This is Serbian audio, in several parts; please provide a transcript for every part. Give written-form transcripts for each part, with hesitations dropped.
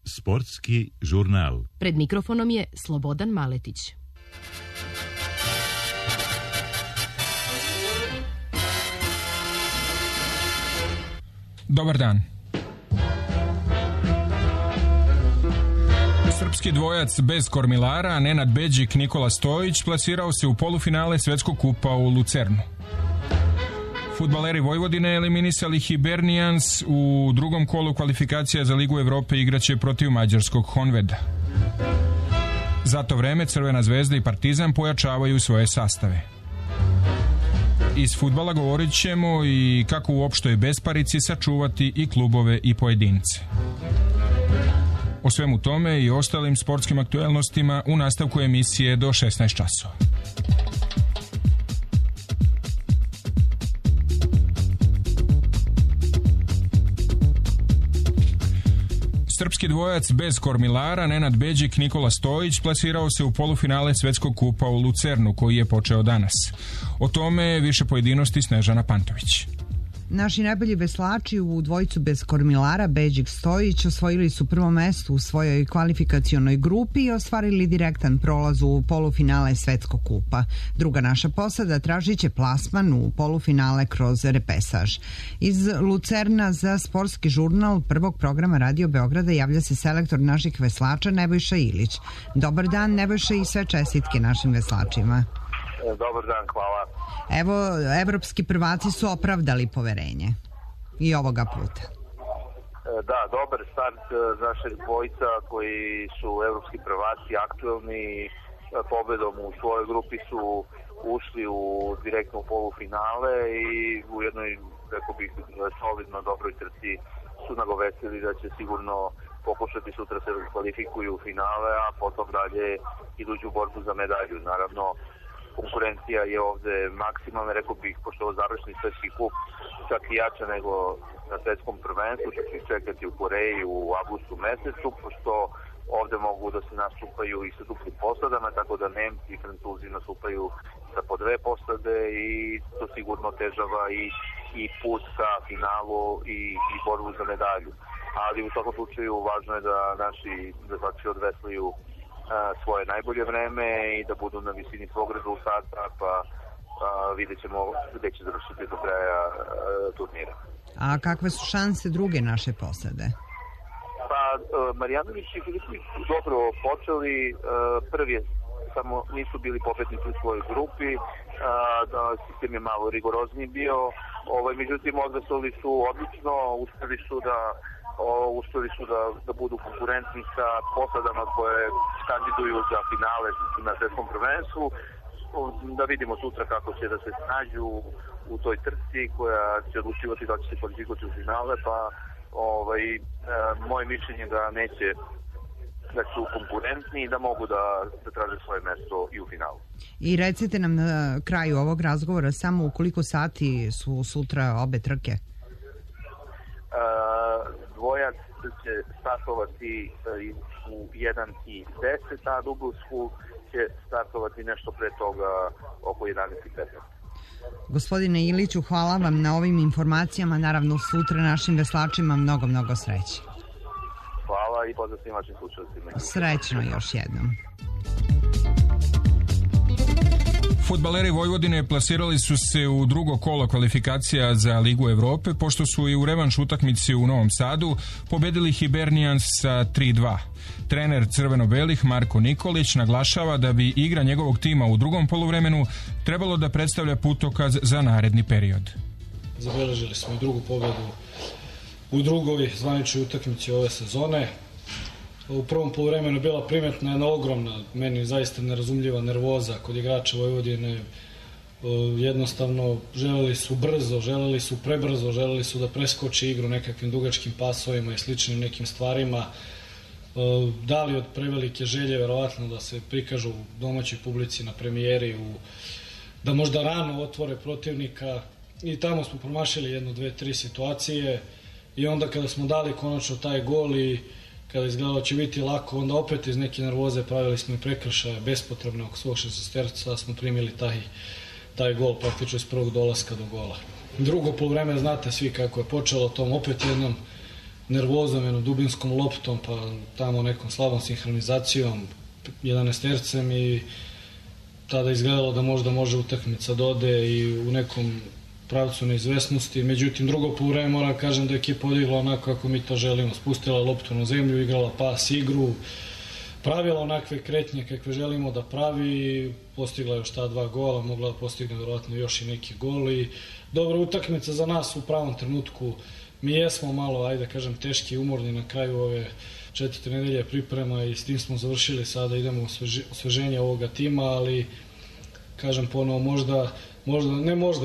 Sportski žurnal. Pred mikrofonom je Slobodan Maletić. Dobar dan. Srpski dvojac bez kormilara, Nenad Beđik, Nikola Stojić, plasirao se u polufinale Svetskog kupa u Lucernu. Fudbaleri Vojvodine eliminisali Hibernians u drugom kolu kvalifikacija za Ligu Evrope igraće protiv mađarskog Honveda. Za to vreme Crvena zvezda i Partizan pojačavaju svoje sastave. Iz fudbala govorit ćemo i kako u opštoj besparici sačuvati i klubove i pojedince. O svemu tome i ostalim sportskim aktuelnostima u nastavku emisije do 16 časova. Srpski dvojac bez kormilara, Nenad Beđik, Nikola Stojić, plasirao se u polufinale Svetskog kupa u Lucernu, koji je počeo danas. O tome više pojedinosti Snežana Pantović. Naši najbolji veslači u dvojicu bez kormilara, Beđik Stojić, osvojili su prvo mesto u svojoj kvalifikacionoj grupi i ostvarili direktan prolaz u polufinale Svetskog kupa. Druga naša posada tražit će plasman u polufinale kroz repesaž. Iz Lucerna za sportski žurnal prvog programa Radio Beograda javlja se selektor naših veslača Nebojša Ilić. Dobar dan, Nebojša, i sve čestitke našim veslačima. Dobar dan, hvala. Evo, evropski prvaci su opravdali poverenje i ovoga puta. Da, dobar start našeg dvojca koji su evropski prvaci, aktuelni, pobedom u svojoj grupi su ušli u direktno polufinale i u jednoj, rekao bih, solidno dobroj trci su nagovestili da će sigurno pokušati sutra se kvalifikuju u finale, a potom dalje iduću borbu za medalju. Naravno, konkurencija je ovde maksimalna, rekao bih, pošto je završni svetski kup čak i jača nego na svetskom prvenstvu, što će čekati u Koreji u avgustu mesecu, pošto ovde mogu da se nastupaju i sa duplim posadama, tako da Nemci i Francuzi nastupaju sa po dve posade i to sigurno otežava i put ka finalu i borbu za medalju. Ali u svakom slučaju važno je da naši veslači odveslaju svoje najbolje vreme i da budu na visini svog rezultata, pa vidjet ćemo gde će završiti do kraja turnira. A kakve su šanse druge naše posade? Pa Marjanović i Filipović su dobro počeli, prvi samo nisu bili pobednici u svojoj grupi, sistem je malo rigorozniji bio, međutim odveslali su odlično, uspeli su da budu konkurentni sa posadama koje kandiduju za finale na svetskom prvenstvu. Da vidimo sutra kako će da se snađu u toj trci koja će odlučivati da će se kvalifikovati u finale, pa moje mišljenje da neće, da su konkurentni i da mogu da traže svoje mesto i u finalu. I recite nam na kraju ovog razgovora samo u koliko sati su sutra obe trke? Dvojac će startovati u 1:10, a Dublsku će startovati nešto pre toga oko 11:15. Gospodine Iliću, hvala vam na ovim informacijama. Naravno, sutra našim veslačima mnogo sreće. Hvala i pozdrav svim vašim slušalcima. Srećno još jednom. Fudbaleri Vojvodine plasirali su se u drugo kolo kvalifikacija za Ligu Evrope, pošto su i u revanš utakmici u Novom Sadu pobedili Hibernians sa 3:2. Trener crveno-belih Marko Nikolić naglašava da bi igra njegovog tima u drugom poluvremenu trebalo da predstavlja putokaz za naredni period. Zabeležili smo i drugu pobedu u drugoj zvaničnoj utakmici ove sezone. U prvom poluvremenu je bila primetna jedna ogromna, meni zaista nerazumljiva nervoza kod igrača Vojvodine. Jednostavno želeli su brzo, želeli su prebrzo, želeli su da preskoče igru nekakvim dugačkim pasovima i sličnim nekim stvarima. Da li od prevelike želje verovatno da se prikažu domaćoj publici na premijeri, da možda rano otvore protivnika, i tamo smo promašili 1, 2, 3 situacije i onda kada smo dali konačno taj gol i kada izgledalo će biti lako, onda opet iz neke nervoze pravili smo i prekršaje bespotrebne oko svog šesterca, smo primili taj gol praktično iz prvog dolaska do gola. Drugo poluvreme, znate svi kako je počelo, tom opet jednom nervozom, jednom dubinskom loptom, pa tamo nekom slabom sinhronizacijom, 11-tercem i tada izgledalo da možda može utakmica da ode i u nekom pravcu neizvesnosti. Međutim, drugo poluvreme moram kažem da je ekipa odigla onako kako mi to želimo. Spustila loptu na zemlju, igrala pas igru, pravila onakve kretnje kakve želimo da pravi, postigla još ta 2 gola, mogla da postigne vjerojatno još i neki gol i dobra utakmica za nas u pravom trenutku. Mi jesmo malo, ajde kažem, teški i umorni na kraju ove 4. nedelje priprema i s tim smo završili, sada idemo u osveženje ovoga tima, ali kažem ponovo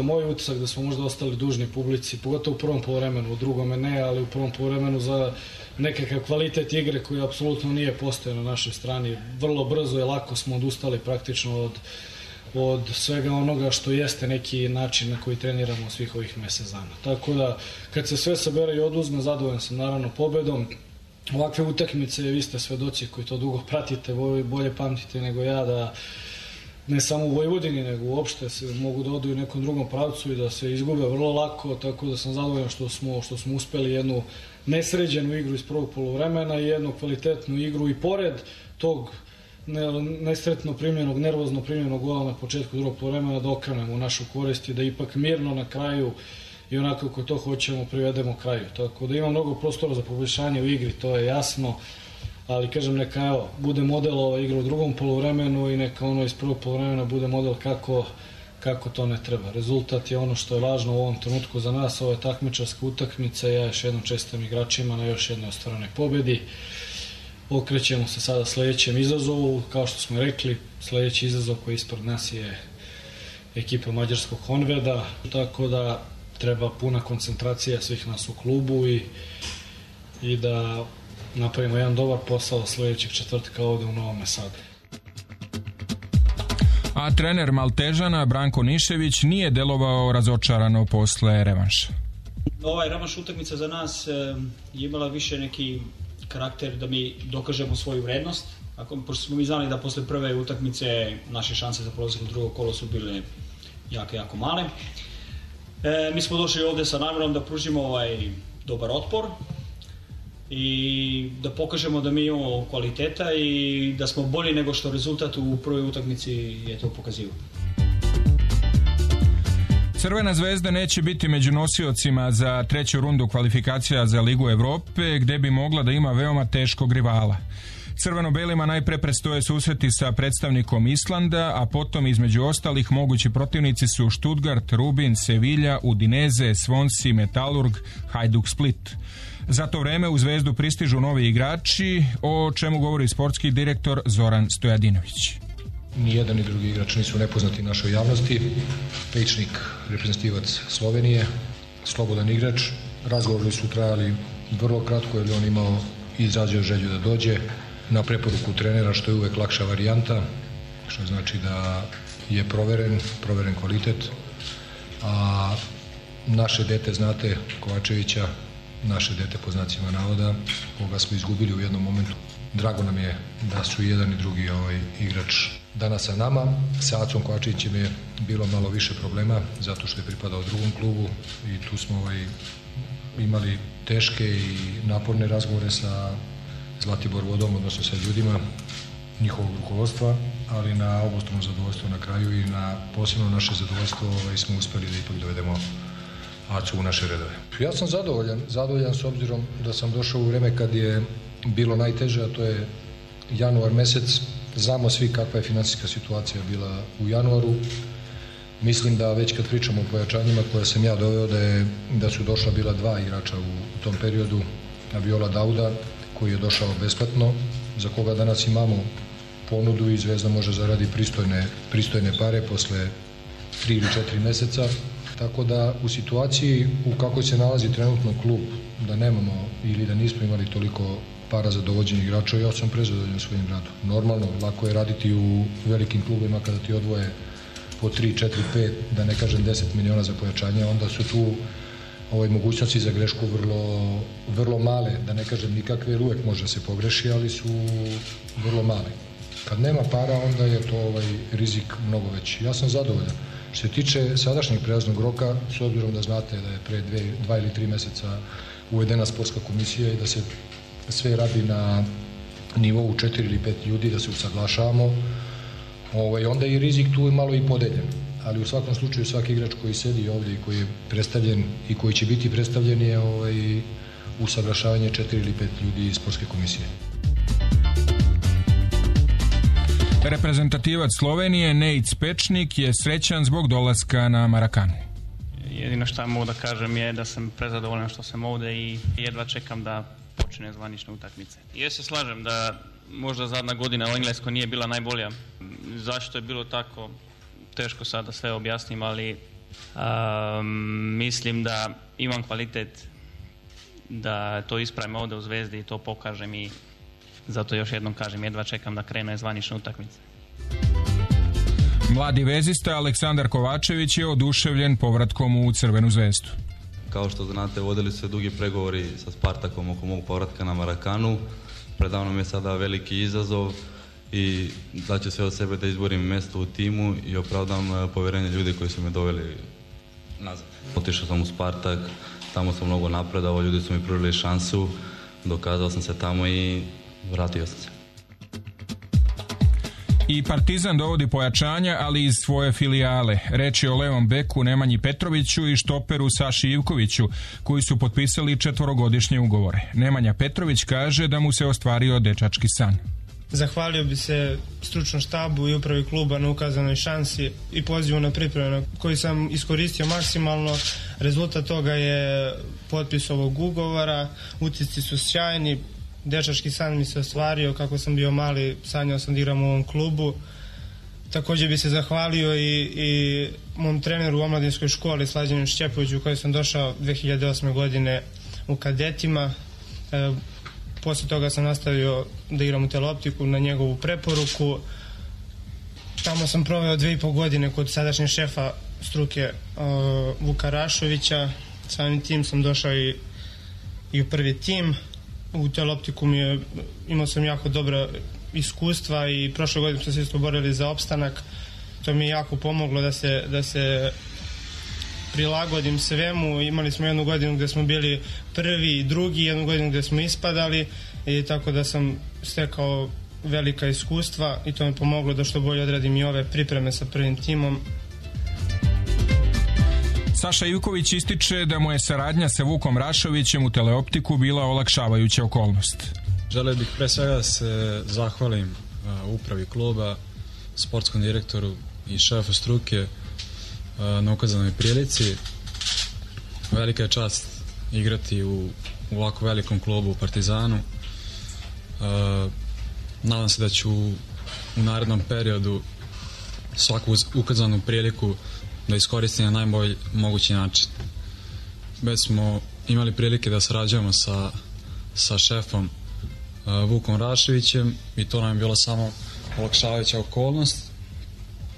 moj utisak da smo možda ostali dužni publici, pogotovo u prvom poluvremenu, u drugome ne, ali u prvom poluvremenu za nekakav kvalitet igre koji apsolutno nije postojao na našoj strani. Vrlo brzo i lako smo odustali praktično od svega onoga što jeste neki način na koji treniramo svih ovih mesec dana. Tako da, kad se sve sabere i oduzme, zadovoljan sam naravno pobedom. Ovakve utakmice, vi ste svedoci koji to dugo pratite, bolje pamtite nego ja, da ne samo u Vojvodini, nego uopšte se mogu da odu u nekom drugom pravcu i da se izgube vrlo lako, tako da sam zadovoljan što smo uspeli jednu nesređenu igru iz prvog poluvremena i jednu kvalitetnu igru i pored tog nesretno primljenog, nervozno primljenog gola na početku drugog poluvremena da okrenemo u našu korist i da ipak mirno na kraju i onako kako to hoćemo privedemo kraju. Tako da ima mnogo prostora za poboljšanje u igri, to je jasno, ali kažem neka bude model ova igra u drugom poluvremenu i neka ono iz prvog poluvremena bude model kako to ne treba. Rezultat je ono što je važno u ovom trenutku za nas, ovo je takmičarska utakmica, ja još jednom čestitam igračima na još jednoj ostvarenoj pobedi. Okrećemo se sada sledećem izazovu, kao što smo rekli, sledeći izazov koji ispred nas je ekipa mađarskog Honveda, tako da treba puna koncentracija svih nas u klubu i da napravimo jedan dobar posao sledećeg četvrtka ovde u Novom Sadu. A trener Maltežana Branko Nišević nije delovao razočarano posle revanša. Ovaj revanš utakmica za nas je imala više neki karakter da mi dokažemo svoju vrednost. Pošto smo mi znali da posle prve utakmice naše šanse za prolazak u drugo kolo su bile jako male. Mi smo došli ovde sa namerom da pružimo dobar otpor i da pokažemo da mi imamo kvaliteta i da smo bolji nego što rezultat u prvoj utakmici je to pokazivao. Crvena zvezda neće biti među nosiocima za 3. rundu kvalifikacija za Ligu Evrope, gde bi mogla da ima veoma teškog rivala. Crveno-belima najpre predstoje susreti sa predstavnikom Islanda, a potom između ostalih mogući protivnici su Stuttgart, Rubin, Sevilla, Udinese, Swansea, Metalurg, Hajduk Split. Za to vreme u Zvezdu pristižu novi igrači, o čemu govori sportski direktor Zoran Stojadinović. Nijedan ni drugi igrač nisu nepoznati našoj javnosti. Pečnik, reprezentativac Slovenije, slobodan igrač. Razgovori su trajali vrlo kratko jer on imao i izrazio želju da dođe na preporuku trenera, što je uvek lakša varijanta, što znači da je proveren kvalitet. A naše dete, znate, Kovačevića, naše dete po znacima navoda, koga smo izgubili u jednom momentu. Drago nam je da su jedan i drugi igrač danas sa nama. Sa Acom Kovačevićem je bilo malo više problema zato što je pripadao drugom klubu i tu smo imali teške i naporne razgovore sa Zlatibor Vodom, odnosno sa ljudima njihovog rukovodstva, ali na obostrano zadovoljstvo na kraju i na posebno naše zadovoljstvo smo uspeli da ipak dovedemo Acu u naše redove. Ja sam zadovoljan s obzirom da sam došao u vreme kad je bilo najteže, a to je januar mesec. Znamo svi kakva je finansijska situacija bila u januaru. Mislim da već kad pričamo o pojačanjima koje sam ja doveo, da su došla bila 2 igrača u tom periodu, Viola Dauda, koji je došao besplatno, za koga danas imamo ponudu i Zvezda može zaradi pristojne pare posle 3 ili 4 meseca. Tako da u situaciji u kakvoj se nalazi trenutno klub, da nemamo ili da nismo imali toliko para za dovođenje igrača, ja sam prezadovoljan svojim radom. Normalno, lako je raditi u velikim klubima kada ti odvoje po 3, 4, 5, da ne kažem 10 miliona za pojačanje, onda su tu mogućnosti za grešku vrlo male, da ne kažem nikakve, jer uvek može se pogreši, ali su vrlo male. Kad nema para, onda je to rizik mnogo veći. Ja sam zadovoljan. Što se tiče sadašnjeg prelaznog roka, s obzirom da znate da je pre 2 ili 3 meseca uvedena sportska komisija i da se sve radi na nivou 4 ili 5 ljudi, da se usaglašavamo, onda je i rizik tu malo i podeljen. Ali u svakom slučaju svaki igrač koji sedi ovdje i koji je predstavljen i koji će biti predstavljen je usaglašavanje 4 ili 5 ljudi iz sportske komisije. Reprezentativac Slovenije Nejc Pečnik je srećan zbog dolaska na Marakanu. Jedino što mogu da kažem je da sam prezadovoljan što sam ovde i jedva čekam da počne zvanične utakmice. Ja se slažem da možda zadnja godina u Engleskoj nije bila najbolja. Zašto je bilo tako? Teško sad da sve objasnim, ali mislim da imam kvalitet da to ispravim ovde u Zvezdi i to pokažem i zato još jednom kažem, jedva čekam da krene zvanične utakmice. Mladi vezista Aleksandar Kovačević je oduševljen povratkom u Crvenu zvezdu. Kao što znate, vodili se dugi pregovori sa Spartakom oko mog povratka na Marakanu. Predavno mi je sada veliki izazov i daću sve od sebe da izborim mesto u timu i opravdam povjerenje ljudi koji su me doveli nazad. Otišao sam u Spartak, tamo sam mnogo napredao, ljudi su mi pružili šansu, dokazao sam se tamo i vratio sam se. I Partizan dovodi pojačanja, ali iz svoje filijale. Reč je o levom beku Nemanji Petroviću i štoperu Saši Ivkoviću, koji su potpisali 4-godišnje ugovore. Nemanja Petrović kaže da mu se ostvario dečački san. Zahvalio bi se stručnom štabu i upravi kluba na ukazanoj šansi i pozivu na pripremu koji sam iskoristio maksimalno. Rezultat toga je potpis ovog ugovora, utisci su sjajni, dečački san mi se ostvario, kako sam bio mali, sanjao sam da igram u ovom klubu. Također bi se zahvalio i mom treneru u omladinskoj školi Slađanu Šćepoviću u kojoj sam došao 2008. godine u kadetima. Poslije toga sam nastavio da igram u Teleoptiku na njegovu preporuku. Tamo sam proveo 2,5 godine kod sadašnjeg šefa struke Vuka Rašovića. Samim tim sam došao i u prvi tim. U Teleoptiku imao sam jako dobra iskustva i prošle godine smo se isto borili za opstanak. To mi je jako pomoglo da se prilagodim svemu. Imali smo jednu godinu gdje smo bili prvi i drugi, jednu godinu gdje smo ispadali i tako da sam stekao velika iskustva i to mi pomoglo da što bolje odradim i ove pripreme sa prvim timom. Saša Ivković ističe da mu je saradnja sa Vukom Rašovićem u Teleoptiku bila olakšavajuća okolnost. Želeo bih pre svega da se zahvalim upravi kluba, sportskom direktoru i šefu struke na ukazanoj prilici. Velika je čast igrati u ovako velikom klubu u Partizanu. Nadam se da ću u narednom periodu svaku ukazanu priliku da iskoristim na najbolji mogući način. Već smo imali prilike da sarađujemo sa šefom Vukom Raševićem i to nam je bilo samo olakšavajuća okolnost.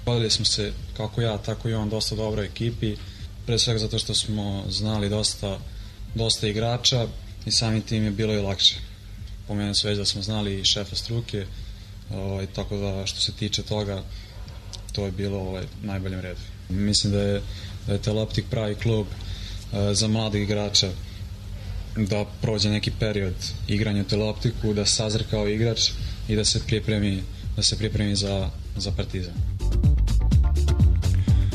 Bavili smo se, kako ja, tako i on, dosta dobroj ekipi, pre svega zato što smo znali dosta igrača i samim tim je bilo i lakše. Pomenuo se već da smo znali i šefa struke, tako da što se tiče toga, to je bilo u najboljem redu. Mislim da je Teleoptik pravi klub za mladih igrača, da prođe neki period igranja u Teleoptiku, da sazre kao igrač i da se pripremi za Partizan.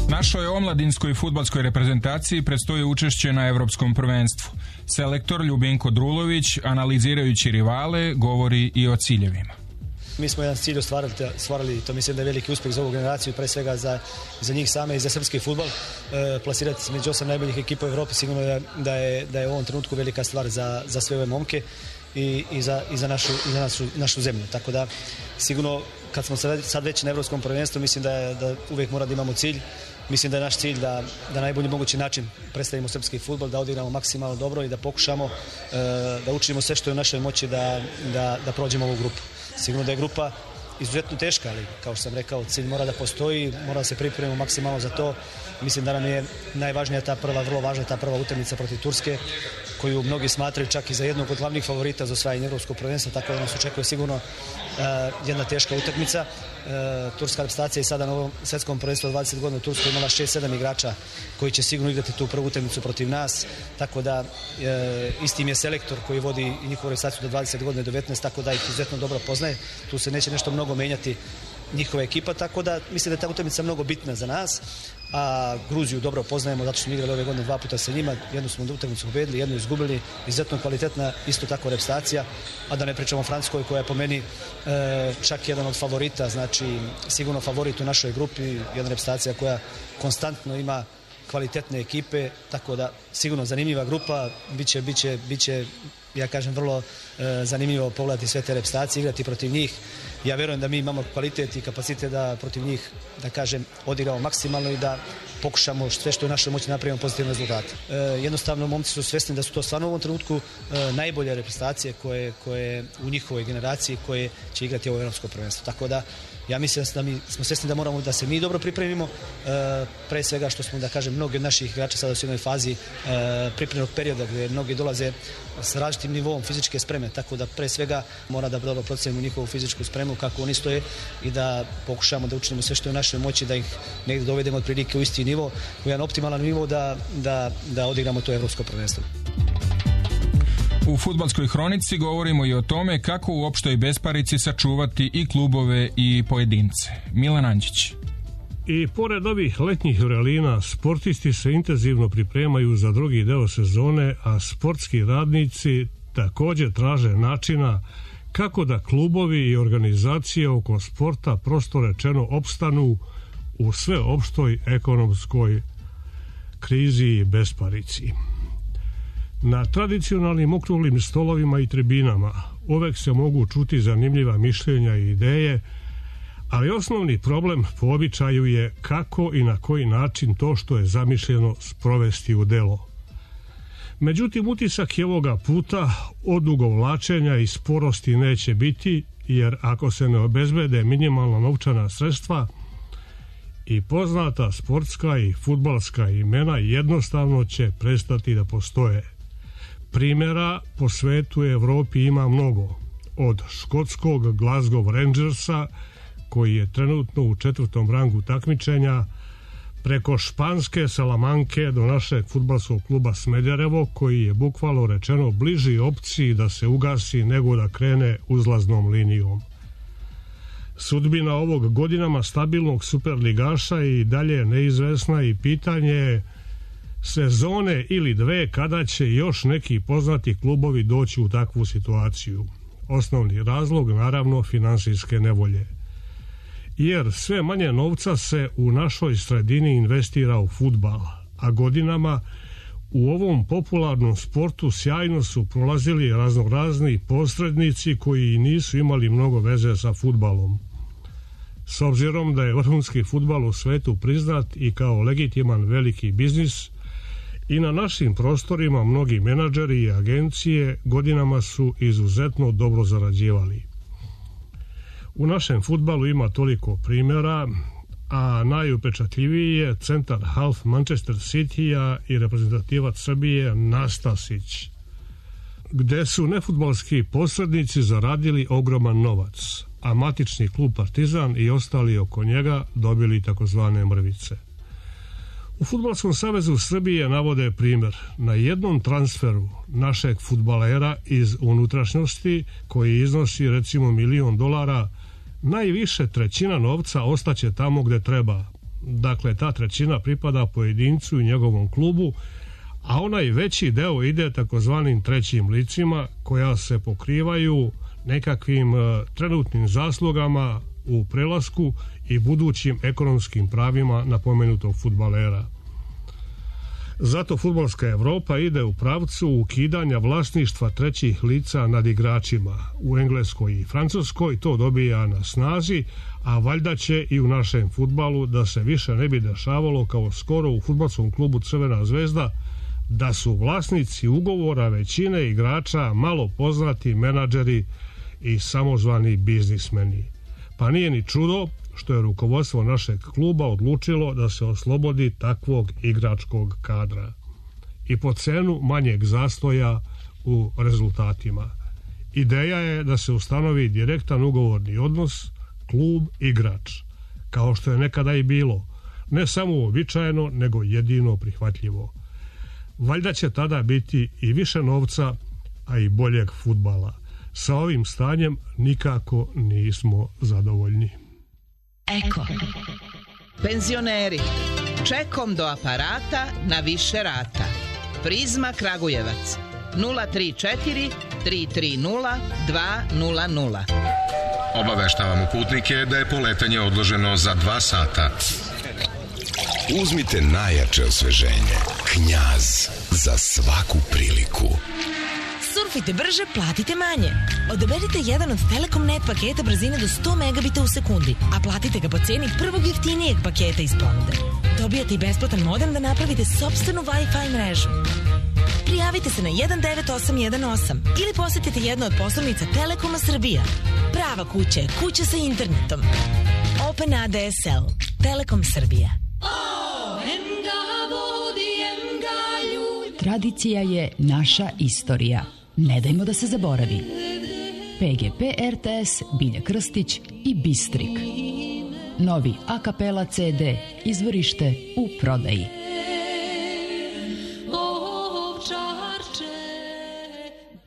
Našoj omladinskoj fudbalskoj reprezentaciji predstoji učešće na Evropskom prvenstvu. Selektor Ljubinko Drulović, analizirajući rivale, govori i o ciljevima. Mi smo jedan cilj ostvarili, to mislim da je veliki uspjeh za ovu generaciju, pre svega za njih same i za srpski fudbal. Plasirati se među 8 najboljih ekipa u Evropi sigurno da je u ovom trenutku velika stvar za sve ove momke i za našu zemlju. Tako da sigurno kad smo sad već na Evropskom prvenstvu, mislim da uvijek mora da imamo cilj. Mislim da je naš cilj da na najbolji mogući način predstavimo srpski fudbal, da odigramo maksimalno dobro i da pokušamo da učinimo sve što je u našoj moći da prođemo ovu grupu. Sigurno da je grupa izuzetno teška, ali kao što sam rekao, cilj mora da postoji, mora da se pripremimo maksimalno za to. Mislim da nam je najvažnija ta prva, vrlo važna ta prva utakmica protiv Turske, koju mnogi smatraju čak i za jednog od glavnih favorita za osvajanje evropskog prvenstva, tako da nas očekuje sigurno jedna teška utakmica. Turska reprezentacija je sada na ovom svetskom prvenstvu od 20 godina u Turskoj imala 6-7 igrača koji će sigurno igrati tu prvu utakmicu protiv nas, tako da isti im je selektor koji vodi i njihovu reprezentaciju do 20 godina i do 19, tako da ih izuzetno dobro poznaje. Tu se neće nešto mnogo menjati njihova ekipa, tako da mislim da je ta utakmica mnogo bitna za nas. A Gruziju dobro poznajemo zato što smo igrali ove godine 2 puta sa njima, jednu smo utakmicu pobedili, jednu izgubili, izuzetno kvalitetna isto tako reprezentacija, a da ne pričamo o Francuskoj koja je po meni čak jedan od favorita, znači sigurno favorit u našoj grupi, jedna reprezentacija koja konstantno ima kvalitetne ekipe, tako da sigurno zanimljiva grupa, biće ja kažem vrlo zanimljivo pogledati sve te reprezentacije, igrati protiv njih. Ja verujem da mi imamo kvalitet i kapacitet da protiv njih, da kažem, odigramo maksimalno i da pokušamo sve što je u našoj moći napravimo pozitivne rezultate. Jednostavno, momci su svesni da su to stvarno u ovom trenutku najbolje reprezentacije koje u njihovoj generaciji koje će igrati ovo evropsko prvenstvo. Tako da ja mislim da mi smo svesni da moramo da se mi dobro pripremimo, pre svega što smo, da kažem, mnogi od naših igrača sada u jednoj fazi pripremnog perioda gdje mnogi dolaze s različitim nivom fizičke spreme, tako da pre svega mora da dobro procenimo njihovu fizičku spremu kako oni stoje i da pokušamo da učinimo sve što je u našoj moći da ih negdje dovedemo otprilike u isti nivo, u jedan optimalan nivo da odigramo to evropsko prvenstvo. U fudbalskoj hronici govorimo i o tome kako u opštoj besparici sačuvati i klubove i pojedince. Milan Anđić. I pored ovih letnjih vrelina, sportisti se intenzivno pripremaju za drugi deo sezone, a sportski radnici također traže načina kako da klubovi i organizacije oko sporta prosto rečeno opstanu u sveopštoj ekonomskoj krizi i besparici. Na tradicionalnim okruglim stolovima i tribinama uvek se mogu čuti zanimljiva mišljenja i ideje, ali osnovni problem po običaju je kako i na koji način to što je zamišljeno sprovesti u delo. Međutim, utisak je ovoga puta odugovlačenja i sporosti neće biti, jer ako se ne obezbede minimalna novčana sredstva, i poznata sportska i fudbalska imena jednostavno će prestati da postoje. Primjera po svetu i Evropi ima mnogo. Od škotskog Glasgow Rangersa, koji je trenutno u 4. rangu takmičenja, preko španske Salamanke do našeg fudbalskog kluba Smederevo, koji je bukvalno rečeno bliži opciji da se ugasi nego da krene uzlaznom linijom. Sudbina ovog godinama stabilnog superligaša i dalje neizvesna i pitanje je sezone ili dve kada će još neki poznati klubovi doći u takvu situaciju. Osnovni razlog, naravno, finansijske nevolje. Jer sve manje novca se u našoj sredini investira u fudbal, a godinama u ovom popularnom sportu sjajno su prolazili raznorazni posrednici koji nisu imali mnogo veze sa fudbalom. S obzirom da je vrhunski fudbal u svetu priznat i kao legitiman veliki biznis, i na našim prostorima mnogi menadžeri i agencije godinama su izuzetno dobro zarađivali. U našem fudbalu ima toliko primjera, a najupečatljiviji je centar half Manchester City-a i reprezentativac Srbije Nastasić, gde su nefudbalski posrednici zaradili ogroman novac, a matični klub Partizan i ostali oko njega dobili takozvane mrvice. U Fudbalskom savezu Srbije navode primjer. Na jednom transferu našeg fudbalera iz unutrašnjosti, koji iznosi recimo $1.000.000, najviše trećina novca ostaće tamo gde treba. Dakle, ta trećina pripada pojedincu i njegovom klubu, a onaj veći deo ide takozvanim trećim licima koja se pokrivaju nekakvim trenutnim zaslugama u prelasku i budućim ekonomskim pravima napomenutog fudbalera. Zato fudbalska Evropa ide u pravcu ukidanja vlasništva trećih lica nad igračima. U Engleskoj i Francuskoj to dobija na snazi, a valjda će i u našem fudbalu, da se više ne bi dešavalo kao skoro u fudbalskom klubu Crvena zvezda, da su vlasnici ugovora većine igrača malo poznati menadžeri i samozvani biznismeni. Pa nije ni čudo što je rukovodstvo našeg kluba odlučilo da se oslobodi takvog igračkog kadra i po cenu manjeg zastoja u rezultatima. Ideja je da se ustanovi direktan ugovorni odnos klub-igrač, kao što je nekada i bilo, ne samo uobičajeno, nego jedino prihvatljivo. Valjda će tada biti i više novca, a i boljeg fudbala. Sa ovim stanjem nikako nismo zadovoljni. Eko. Penzioneri. Čekom do aparata na više rata. Prizma Kragujevac. 034 330 200. Obaveštavamo putnike da je poletanje odloženo za 2 sata. Uzmite najjače osveženje. Knjaz za svaku priliku. Surfite brže, platite manje. Odaberite jedan od Telekom Net paketa brzine do 100 megabita u sekundi, a platite ga po ceni prvog jeftinijeg paketa iz ponude. Dobijate i besplatan modem da napravite sopstvenu Wi-Fi mrežu. Prijavite se na 19818 ili posetite jednu od poslovnica Telekoma Srbija. Prava kuća je kuća sa internetom. Open ADSL. Telekom Srbija. Tradicija je naša istorija. Ne dajmo da se zaboravi. PGP RTS, Bilja Krstić i Bistrik. Novi a kapela CD, izvorište u prodaji.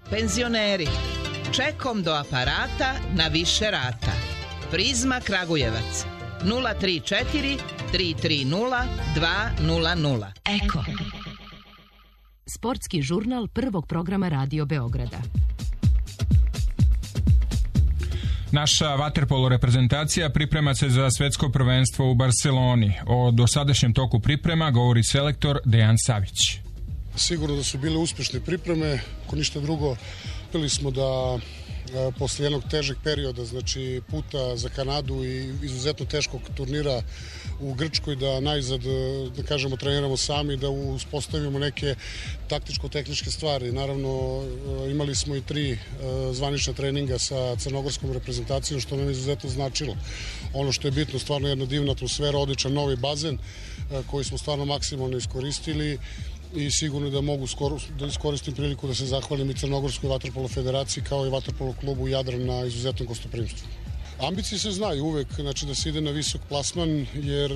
Penzioneri. Čekom do aparata na više rata. Prizma Kragujevac. 034 330 200. Eko. Sportski žurnal prvog programa Radio Beograda. Naša vaterpolo reprezentacija priprema se za svetsko prvenstvo u Barceloni. O dosadašnjem toku priprema govori selektor Dejan Savić. Sigurno da su bile uspešne pripreme, ako ništa drugo, uspeli smo da posle jednog težeg perioda, znači puta za Kanadu i izuzetno teškog turnira u Grčkoj, da najzad, da kažemo, treniramo sami, da uspostavimo neke taktičko-tehničke stvari. Naravno, imali smo i 3 zvanična treninga sa crnogorskom reprezentacijom, što nam je izuzetno značilo. Ono što je bitno, stvarno jedna divna atmosfera, odličan novi bazen koji smo stvarno maksimalno iskoristili i sigurno da mogu da iskoristim priliku da se zahvalim i Crnogorskoj vaterpolo federaciji kao i vaterpolo klubu Jadran na izuzetnom gostoprimstvu. Ambicije se znaju uvek, znači da se ide na visok plasman, jer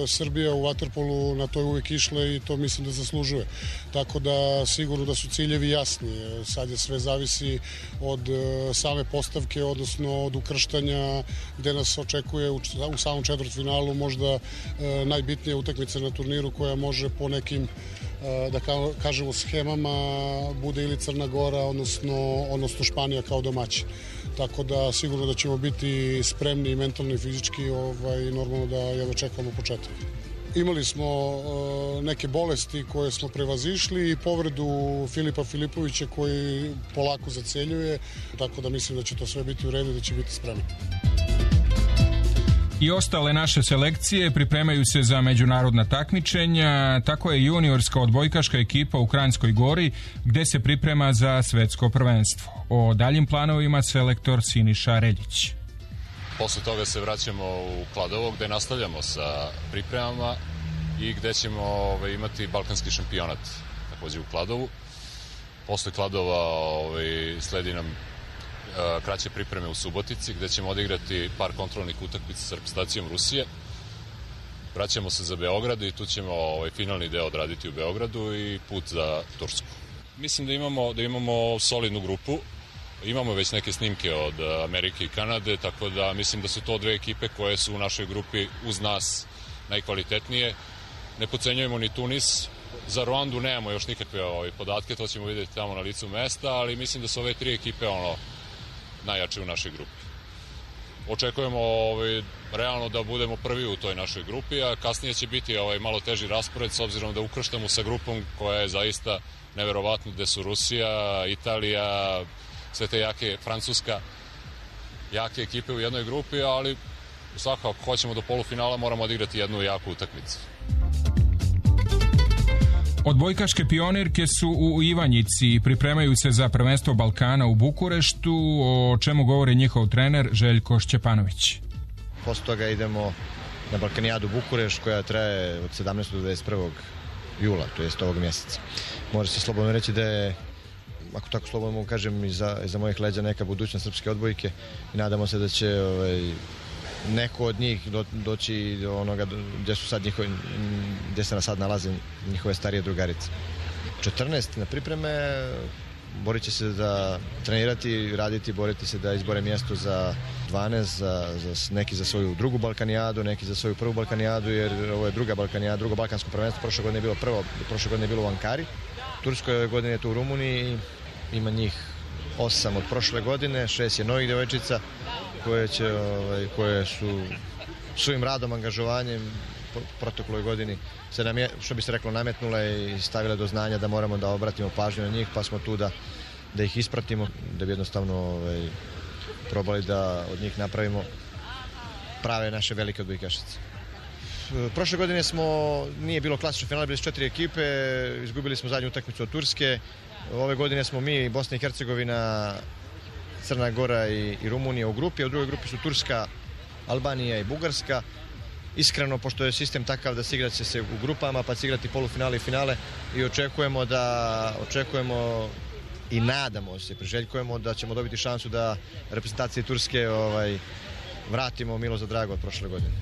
Srbija u vaterpolu na to je uvek išla i to mislim da zaslužuje. Tako da sigurno da su ciljevi jasni. Sad je sve zavisi od same postavke, odnosno od ukrštanja gde nas očekuje u samom četvrtfinalu možda najbitnija utakmica na turniru koja može po nekim, da kažemo, schemama bude ili Crna Gora, odnosno Španija kao domaći. Tako da sigurno da ćemo biti spremni i mentalno i fizički, normalno da jedva čekamo početak. Imali smo neke bolesti koje smo prevazišli i povredu Filipa Filipovića koji polako zaceljuje, tako da mislim da će to sve biti u redu i da će biti spremni. I ostale naše selekcije pripremaju se za međunarodna takmičenja, tako je juniorska odbojkaška ekipa u Kranjskoj Gori, gde se priprema za svetsko prvenstvo. O daljim planovima selektor Siniša Reljić. Posle toga se vraćamo u Kladovo, gde nastavljamo sa pripremama i gde ćemo imati balkanski šampionat takođe u Kladovu. Posle Kladova sledi nam kraće pripreme u Subotici, gde ćemo odigrati par kontrolnih utakmica sa reprezentacijom Rusije. Vraćamo se za Beograd i tu ćemo finalni deo odraditi u Beogradu i put za Tursku. Mislim da imamo solidnu grupu. Imamo već neke snimke od Amerike i Kanade, tako da mislim da su to 2 ekipe koje su u našoj grupi uz nas najkvalitetnije. Ne podcenjujemo ni Tunis. Za Ruandu nemamo još nikakve podatke, to ćemo vidjeti tamo na licu mesta, ali mislim da su ove 3 ekipe najjače u našoj grupi. Očekujemo realno da budemo prvi u toj našoj grupi, a kasnije će biti malo teži raspored s obzirom da ukrštamo sa grupom koja je zaista neverovatna, gde su Rusija, Italija, sve te jake, Francuska, jake ekipe u jednoj grupi, ali svakako ako hoćemo do polufinala moramo odigrati jednu jaku utakmicu. Odbojkaške pionirke su u Ivanjici i pripremaju se za prvenstvo Balkana u Bukureštu, o čemu govori njihov trener Željko Šćepanović. posle toga idemo na Balkanijadu Bukureš koja traje od 17. do 21. jula, to jest ovog mjeseca. Može se slobodno reći da je, ako tako slobodno mogu kažem, iza mojih leđa neka budućnost srpske odbojke i nadamo se da će neko od njih doći do onoga gdje se sad nalaze njihove starije drugarice. 14 na pripreme, borit će se da trenirati, raditi, boriti se da izbore mjesto za 12, neki za svoju drugu Balkanijadu, neki za svoju prvu Balkanijadu, jer ovo je druga Balkanijada, drugo balkansko prvenstvo, prošle godine je bilo prvo, prošle godine je bilo u Ankari, Turskoj, ove godine je to u Rumuniji, ima njih 8 od prošle godine, 6 je novih djevojčica koje su svojim radom, angažovanjem protekloj godini se nam je, što bi se reklo, nametnule i stavile do znanja da moramo da obratimo pažnju na njih, pa smo tu da ih ispratimo, da bi jednostavno probali da od njih napravimo prave naše velike odbojkašice. Prošle godine nije bilo klasično finale, bili su 4 ekipe, izgubili smo zadnju utakmicu od Turske. Ove godine smo mi, Bosna i Hercegovina, Crna Gora i Rumunija u grupi, a u drugoj grupi su Turska, Albanija i Bugarska. Iskreno, pošto je sistem takav da se igraće se u grupama, pa će igrati polufinale i finale i očekujemo i nadamo se, priželjkujemo da ćemo dobiti šansu da reprezentaciji Turske vratimo milo za drago od prošle godine.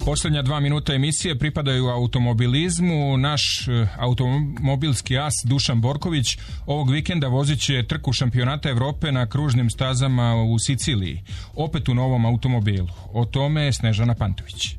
Posljednja 2 minuta emisije pripadaju automobilizmu. Naš automobilski as Dušan Borković ovog vikenda vozit će trku šampionata Evrope na kružnim stazama u Siciliji. Opet u novom automobilu. O tome Snežana Pantović.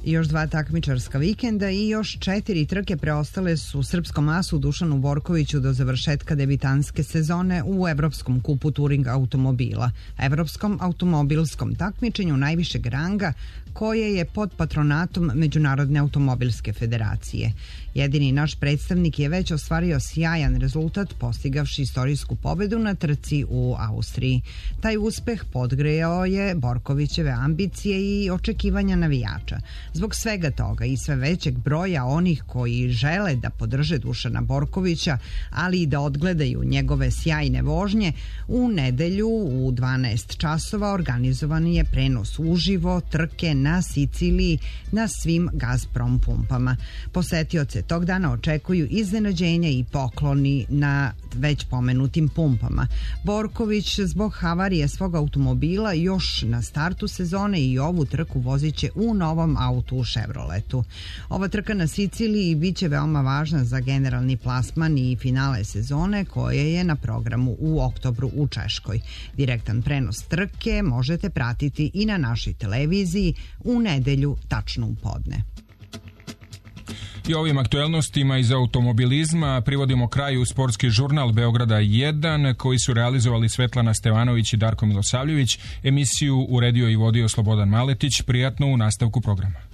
Još 2 takmičarska vikenda i još 4 trke preostale su srpskom asu Dušanu Borkoviću do završetka debitanske sezone u Evropskom kupu Turing automobila, Evropskom automobilskom takmičenju najvišeg ranga koje je pod patronatom Međunarodne automobilske federacije. Jedini naš predstavnik je već ostvario sjajan rezultat postigavši istorijsku pobedu na trci u Austriji. Taj uspeh podgrejao je Borkovićeve ambicije i očekivanja navijača. Zbog svega toga i sve većeg broja onih koji žele da podrže Dušana Borkovića, ali i da odgledaju njegove sjajne vožnje, u nedelju u 12 časova organizovan je prenos uživo trke na Siciliji na svim Gazprom pumpama. Posetioce tog dana očekuju iznenađenja i pokloni na već pomenutim pumpama. Borković zbog havarije svog automobila još na startu sezone i ovu trku vozit će u novom autu u Chevroletu. Ova trka na Siciliji biće veoma važna za generalni plasman i finale sezone koje je na programu u oktobru u Češkoj. Direktan prenos trke možete pratiti i na našoj televiziji u nedelju tačno u podne. I ovim aktuelnostima iz automobilizma privodimo kraju sportski žurnal Beograda 1 koji su realizovali Svetlana Stevanović i Darko Milosavljević. Emisiju uredio i vodio Slobodan Maletić. Prijatno u nastavku programa.